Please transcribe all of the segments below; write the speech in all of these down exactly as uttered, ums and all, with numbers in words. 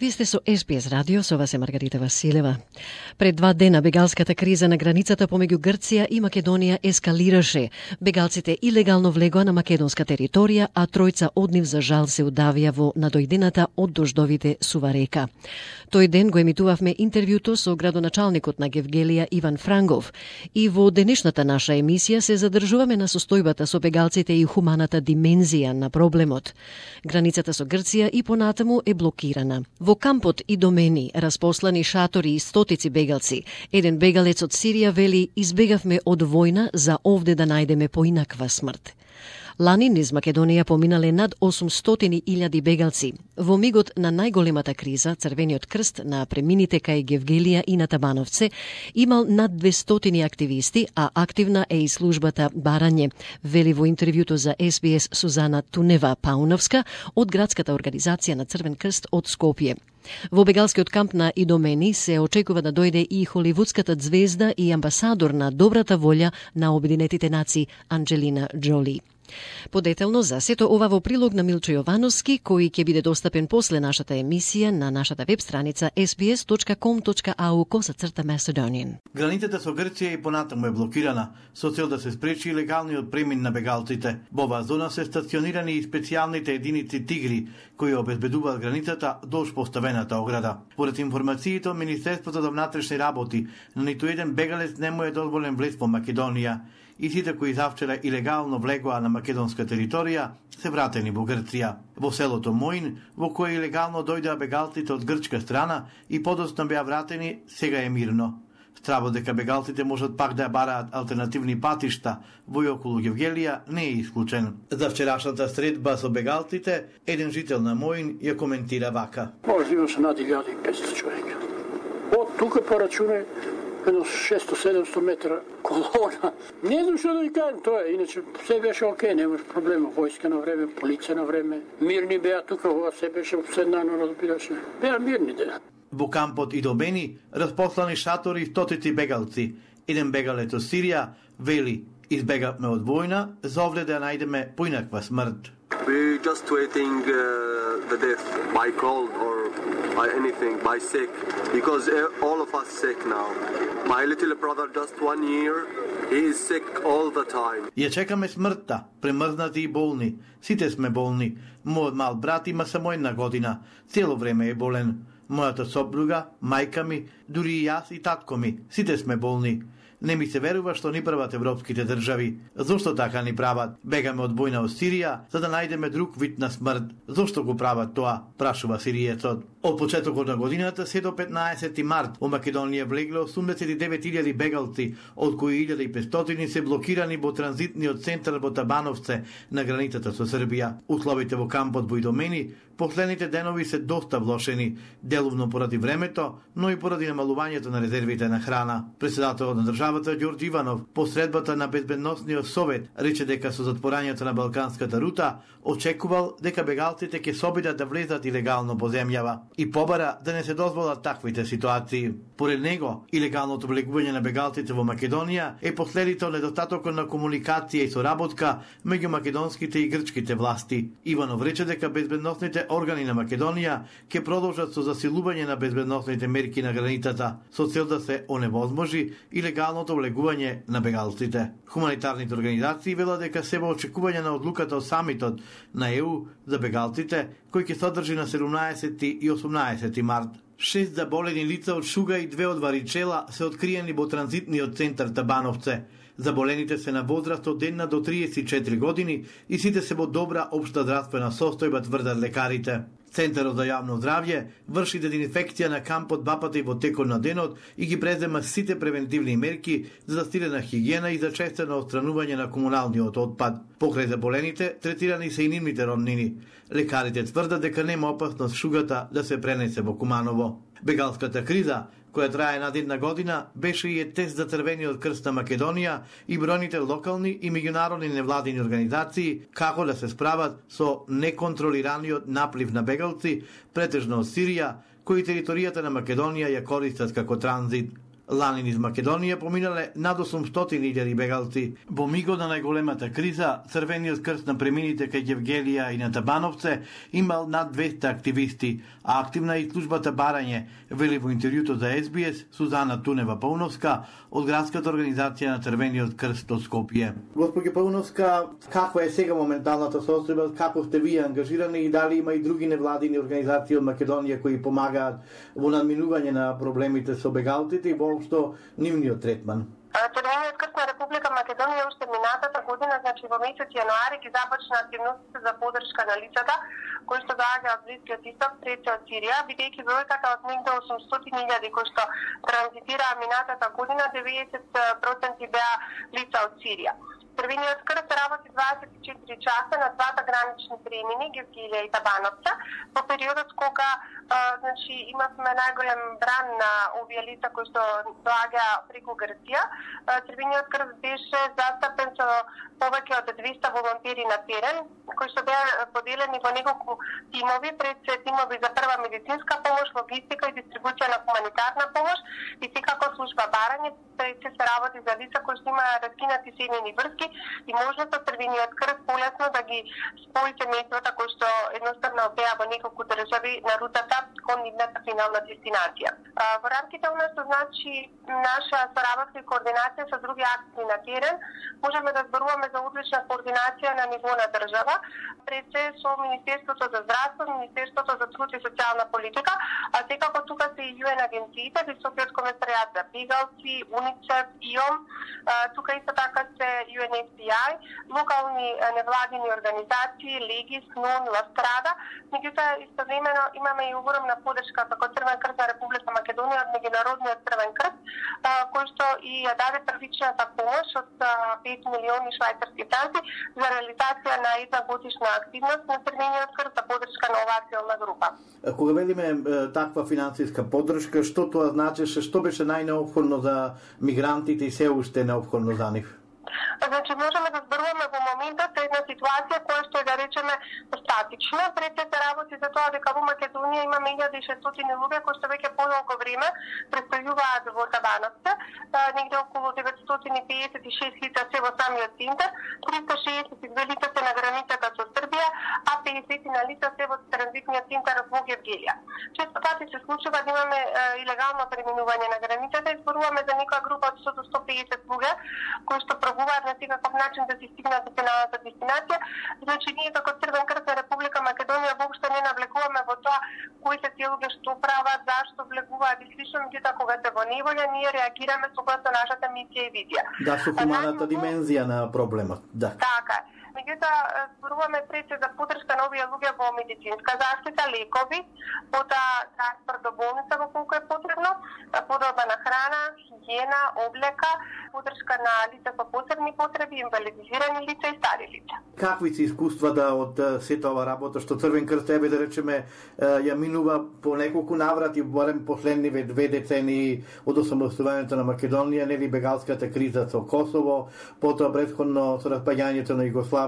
Вие сте со Ес Би Ес радио, со вас е Маргарита Василева. Пред два дена бегалската криза на границата помеѓу Грција и Македонија ескалираше. Бегалците илегално влегоа на македонска територија, а тројца од нив за жал се удавија во надојдената од дождовите сува река. Тој ден го емитувавме интервјуто со градоначалникот на Гевгелија Иван Франгов и во денешната наша емисија се задржуваме на состојбата со бегалците и хуманата димензија на проблемот. Границата со Грција и понатаму е блокирана. Во кампот Идомени распослани шатори и стотици бегалци. Еден бегалец од Сирија вели: избегавме од војна за овде да најдеме поинаква смрт. Лани низ Македонија поминале над осумстотини илјади бегалци. Во мигот на најголемата криза, Црвениот крст на премините кај Гевгелија и на Табановце имал над двестотини активисти, а активна е и службата Барање, вели во интервјуто за Ес Би Ес Сузана Тунева-Пауновска од градската организација на Црвен крст од Скопје. Во бегалскиот камп на Идомени се очекува да дојде и холивудската звезда и амбасадор на добрата волја на Обединетите нации Анџелина Џоли. Подетелно за сето ова во прилог на Милчо Јовановски, кој ќе биде достапен после нашата емисија на нашата веб страница ес би ес точка ком точка ей ю косацрта Macedonian. Границата со Грција и понатаму е блокирана со цел да се спречи илегалниот премин на бегалците. Во оваа зона се стационирани и специјалните единици Тигри, кои обезбедуваат границата долж поставената ограда. Поред информациите од Министерството за внатрешни работи, на ниту еден бегалец не му е дозволен влез во Македонија и сите кои завчера илегално влегоа на македонска територија се вратени во Грција. Во селото Моин, во кое илегално дојдоа бегалците од грчка страна и подоцна беа вратени, сега е мирно. Стравот дека бегалците можат пак да бараат алтернативни патишта во и околу Гевгелија не е исклучен. За вчерашната средба со бегалците, еден жител на Моин ја коментира вака. Може има се над илјада и петстотини човека. Од тука порачуне едно шесто-седемсто метра колона. Не знам што да ви кажем тоа, иначе се беше окей, немаш проблема. Војска на време, полиција на време. Мирни беа тука, ова се беше обседнано, разбираше. Беа мирни дена. Во кампот Идомени распослани шатори и стотици бегалци. Еден бегалец од Сирија вели: избегавме од војна за овде да најдеме поинаква смрт. We just waiting uh, the death by cold or by anything, by sick, because all of us sick now. My little brother just one year, he is sick all the time. Ја чекаме смртта, премрзнати и болни. Сите сме болни. Мојот мал брат има само една година. Цело време е болен. Мојата сопруга, мајка ми, дури и јас и татко ми, сите сме болни. Не ми се верува што ни прават европските држави. Зошто така ни прават? Бегаме од војна од Сирија за да најдеме друг вид на смрт. Зошто го прават тоа? Прашува сириецот. Од почетокот на годината се до петнаесети март во Македонија влегле осумдесет и девет илјади бегалци, од кои илјада и петстотини се блокирани во транзитниот центар во Табановце на границата со Србија. Условите во кампот во Идомени последните денови се доста влошени, деловно поради времето, но и поради намалувањето на резервите на храна. Председателот на државата Ѓорѓе Иванов по средбата на Безбедносниот совет рече дека со затворањето на Балканската рута очекувал дека бегалците ќе се обидат да влезат илегално во земјава и побара да не се дозволат таквите ситуации. Поред него, илегалното влегување на бегалците во Македонија е последица од недостатокот на комуникација и соработка меѓу македонските и грчките власти. Иванов рече дека безбедносните органи на Македонија ќе продолжат со засилување на безбедносните мерки на границата со цел да се оневозможи илегалното влегување на бегалците. Хуманитарните организации велат дека се во очекување на одлуката од самитот на Е У за бегалците, кој ќе се одржи на седумнаесети и осумнаесети март. Шест заболени лица од шуга и две од варичела се откриени во транзитниот центар Табановце. Заболените се на возраст од една до триесет и четири години и сите се во добра општа здравствена состојба, тврдат лекарите. Центарот за јавно здравје врши дезинфекција на кампот два пати во текот на денот и ги презема сите превентивни мерки за застирена хигиена и за честено отстранување на комуналниот отпад. Покрај заболените, третирани се и нивните роднини. Лекарите тврдат дека нема опасност шугата да се пренесе во Куманово. Бегалската криза, која трае над една година, беше и е тест за Црвениот крст на Македонија и бројните локални и меѓународни невладини организации како да се справат со неконтролираниот наплив на бегалци, претежно од Сирија, кои територијата на Македонија ја користат како транзит. Лани низ Македонија поминале над осумстотини илјади бегалци. Во мигот на најголемата криза, Црвениот крст на премините кај Ѓевгелија и на Табановце имал над двесте активисти, а активна и службата Барање, вели во интервјуто за Ес Би Ес Сузана Тунева-Пауновска од градската организација на Црвениот крст од Скопје. Госпоѓо Пауновска, каква е сега моменталната состојба, како сте вие ангажирани и дали има и други невладини организации од Македонија кои помагаат во надминување на проблемите со бегалците и воопшто нивниот третман? Црвениот крст на Република Македонија уште минатата година, значи во месец јануари, ги започна активностите за поддршка на лицата кои што доаѓаат од Блискиот исток, пред од Сирија, бидејќи бројката од негде осумстотини илјади кои што транзитираа минатата година, деветдесет проценти беа лица од Сирија. Црвениот крст работи дваесет и четири часа на двата гранични премини, Ѓевгелија и Табановце, во периодот кога а, значи, имавме најголем бран на овие лица кои што доаѓа преку Грција. Црвениот крст беше застапен со повеќе од двесте волонтери на терен, кои што беа поделени во неколку тимови, пред се тимови за прва медицинска помош, логистика и дистрибуција на хуманитарна помош и секако служба Барање, пред се се работи за лица кои што имаа раскинати семејни врски и можноста Црвениот крст полесно да ги спои семејствата кои што едноставно беа во неколку држави на рутата кон нивната финална дестинација. Во рамките на што значи наша соработка и координација со други акции на терен, можеме да зборуваме за одлична координација на ниво на држава, пред се со Министерството за здравство, Министерството за труд и социјална политика, а секако тука се и Ю Ен агенциите, Високиот комесаријат за бегалци, УНИЦЕФ, ИОМ, тука исто така се Ю Ен Ес Си Ај, локални невладини организации, Легис, НУН, Ластрада. Меѓутоа, истовремено имаме и огромна поддршка како Црвен крст на Република Македонија од Меѓународниот Црвен крст, кој што и ја даде првичната помош од пет милиони швајцарски франци за реализација на една годишна активност на Црвениот крст за поддршка на оваа целна група. Кога велиме таква финансиска поддршка, што тоа значеше, што беше најнеопходно за мигрантите и се уште неопходно за нив? Значи, можеме да зборуваме во моментот една ситуација која што е, да речеме, статична. Пред се работи за тоа дека во Македонија имаме илјада и шестстотини луѓе кои што веќе подолго време престојуваат во Табановце, негде околу деветстотини пеесет и шест лица се во самиот центар, триста шеесет и две лица се на границата со Србија, а пеесет на лица се во транзитниот центар во Ѓевгелија. Често пати се случува да имаме е, илегално преминување на границата и зборуваме за некоја група од сто до сто пеесет луѓе кои што пробуваат на секаков начин да се стигнат до финалната дестинација. Значи, ние како Црвен крст на Република Македонија воопшто не навлекуваме во тоа кои се тие луѓе што прават, зашто влегуваат и слично, меѓутоа кога се во неволја, ние реагираме согласно нашата мисија и визија. Да, со хуманата димензија на проблемот, да. Така. Меѓутоа, зборуваме пред се за поддршка на овие луѓе во медицинска заштита, лекови, потоа транспорт до болница во колку е потребно, подоба на храна, хигиена, облека, поддршка на лица со посебни потреби, инвалидизирани лица и стари лица. Какви се искуствата од сета ова работа што Црвен крст ебе да речеме ја минува по неколку наврати, барем последниве две децении од осамостувањето на Македонија, нели бегалската криза со Косово, потоа претходно со распаѓањето на Југославија,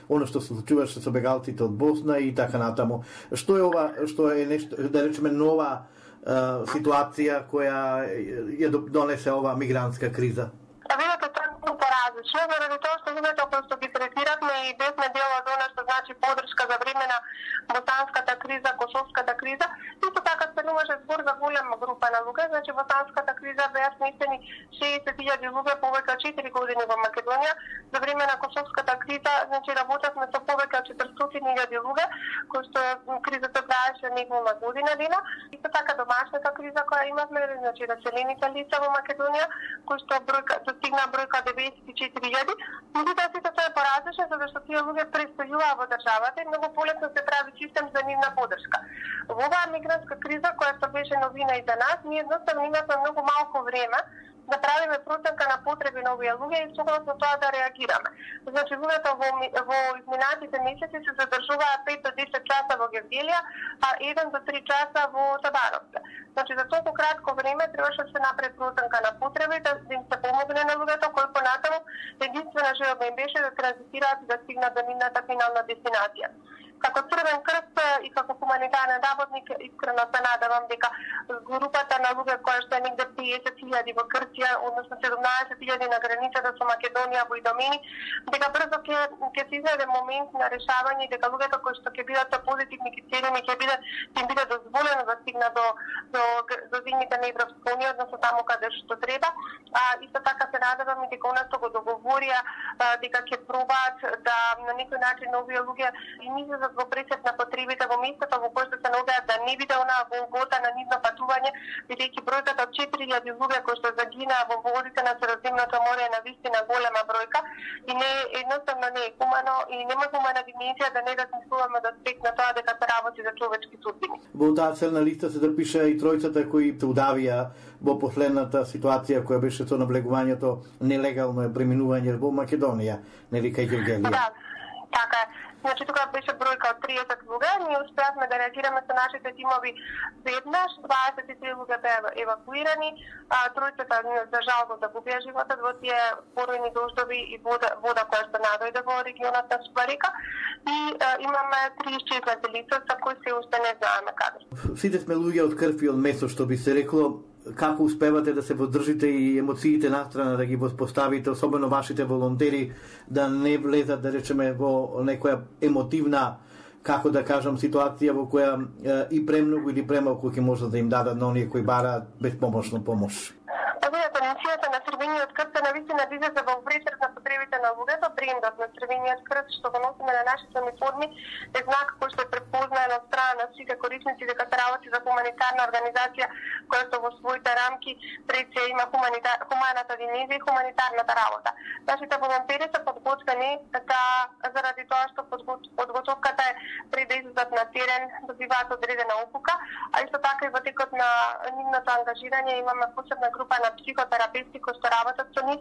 она што се случуваше со бегалците од Босна и така натаму. Што е ова, што е нешто, да речеме, нова Uh, ситуација која ја донесе оваа мигрантска криза? Видете, тоа е поразлично, заради тоа што луѓето кои што ги третиравме и бевме дел од она што значи поддршка за време на босанската криза, косовската криза, исто така стануваше збор за голема група на луѓе, значи босанската криза беа сместени шеесет илјади луѓе повеќе од четири години во Македонија, за време на косовската криза, значи работевме со повеќе од четиристотини илјади луѓе, кои што кризата траеше неколку година дена, исто така домашната криза која имавме, значи раселените лица во Македонија, кои што бројка достигна бројка деветдесет и четири илјади, меѓутоа сите тоа е поразлично затоа што тие луѓе престојуваа во државата и многу полесно се прави систем за нивна поддршка. Во оваа мигрантска криза која што беше новина и за нас, ние едноставно имавме многу малку време да правиме проценка на потреби на овие луѓе и согласно тоа да реагираме. Значи, луѓето во, во изминатите месеци се задржуваат пет до десет часа во Ѓевгелија, а еден до три часа во Табановце. Значи, за толку кратко време требаше да се направи проценка на потреби, да им се помогне на луѓето кои понатаму единствена желба им беше да транзитираат и да стигнат до нивната финална дестинација. Како Црвен крст и како хуманитарен работник искрено се надевам дека групата на луѓе кои што е негде песет илјади во Грција, односно седумнаесет илјади на границата со Македонија во Идомени, дека брзо ќе ќе се изнајде момент на решавање, дека луѓето кои што ќе бидат со позитивни критериуми ќе биде ќе биде дозволено да стигна до до до земјите на Европска унија, односно таму каде што треба. А исто така се надевам и дека она што го договорија дека ќе пробаат да на некој начин овие луѓе и излезат во пресет на потребите во местото во кое што се наоѓаат, да не биде онаа голгота на нивно патување, бидејќи бројката од четири илјади луѓе кои што загинаа во водите на Средоземното море е навистина голема бројка и не едноставно не е хумано и нема хумана димenzија да не размислуваме до аспект на тоа дека се работи за човечки судбини. Во таа целна листа се запиша и тројцата кои се удавија во последната ситуација која беше со наблегувањето нелегално е преминување во Македонија, нели кај Гевгелија. Да, така е. Значи, тука беше бројка од триесет луѓе, ние успеавме да реагираме со нашите тимови веднаш, дваесет и три луѓе беа евакуирани, а тројцата за жал да губија животот во тие поројни дождови и вода, вода која што надојде во регионот на Супарика и а, имаме три исчезнати лица за кои се уште не знаеме каде. Сите сме луѓе од крв и од месо, што би се рекло. Како успевате да се воздржите и емоциите настрана да ги воспоставите, особено вашите волонтери, да не влезат, да речеме, во некоја емотивна, како да кажам, ситуација во која е, и премногу или премалку ќе можат да им дадат на оние кои бараат безпомошно помош? Видете, мисијата на Црвениот крст е навистина да излезе во пресред на потребите на луѓето. Брендот на Црвениот крст што го носиме на нашите униформи е знак кој што е препознаен од страна на сите корисници дека се работи за хуманитарна организација која што во своите рамки пред се има хуманитар, хуманата димenzија и хуманитарната работа. Нашите волонтери се подготвени да заради тоа што подготовката е пред да излезат на терен, добиваат одредена опука, а исто така и во текот на нивното ангажирање имаме посебна група на психотерапевти кои што работат со нив,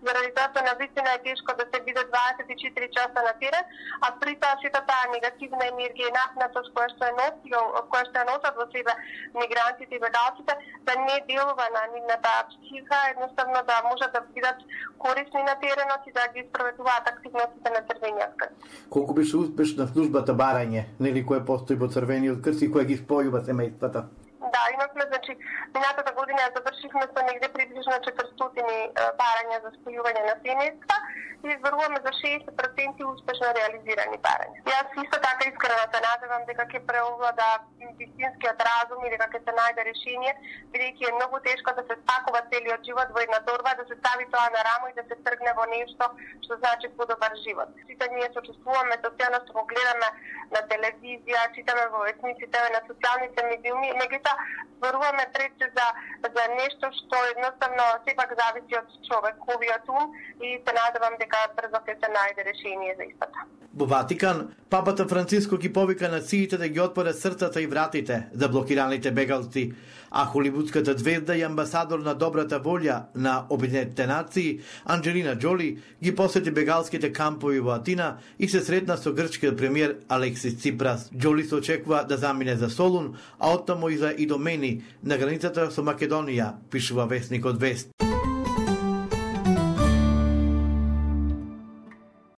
заради тоа што навистина е тешко да се биде дваесет и четири часа на терен, а при тоа сите таа негативна енергија и напнатост која што е носил, која што е носат во себе мигрантите и бегалците, да не делува на нивната психика, едноставно да можат да бидат корисни на теренот и да ги спроведуваат активностите на Црвениот крст. Колку беше успешна службата барање, нели која постои во Црвениот крст и која ги спојува семејствата? Да, имавме, значи, минатата година ја завршивме со негде приближно четиристотини барања за спојување на семејства и изборуваме за шеесет проценти успешно реализирани барања. Јас исто така искрено се надевам дека ќе преовлада вистинскиот разум и дека ќе се најде решение, бидејќи е многу тешко да се спакува целиот живот во една торба, да се стави тоа на рамо и да се тргне во нешто што значи подобар живот. Сите ние сочувствуваме со тоа што го гледаме на телевизија, читаме во весниците, на социјалните медиуми, меѓутоа зборуваме пред се за за нешто што едноставно сепак зависи од човековиот ум и се надевам дека брзо ќе се најде решение за истото. Во Ватикан, папата Франциско ги повика нациите да ги отворат срцата и вратите за блокираните бегалци, а холивудската звезда и амбасадор на добрата волја на Обединетите нации, Анджелина Джоли, ги посети бегалските кампови во Атина и се сретна со грчкиот премиер Алексис Ципрас. Джоли се очекува да замине за Солун, а оттаму и за Идомени, на границата со Македонија, пишува вестникот Вест.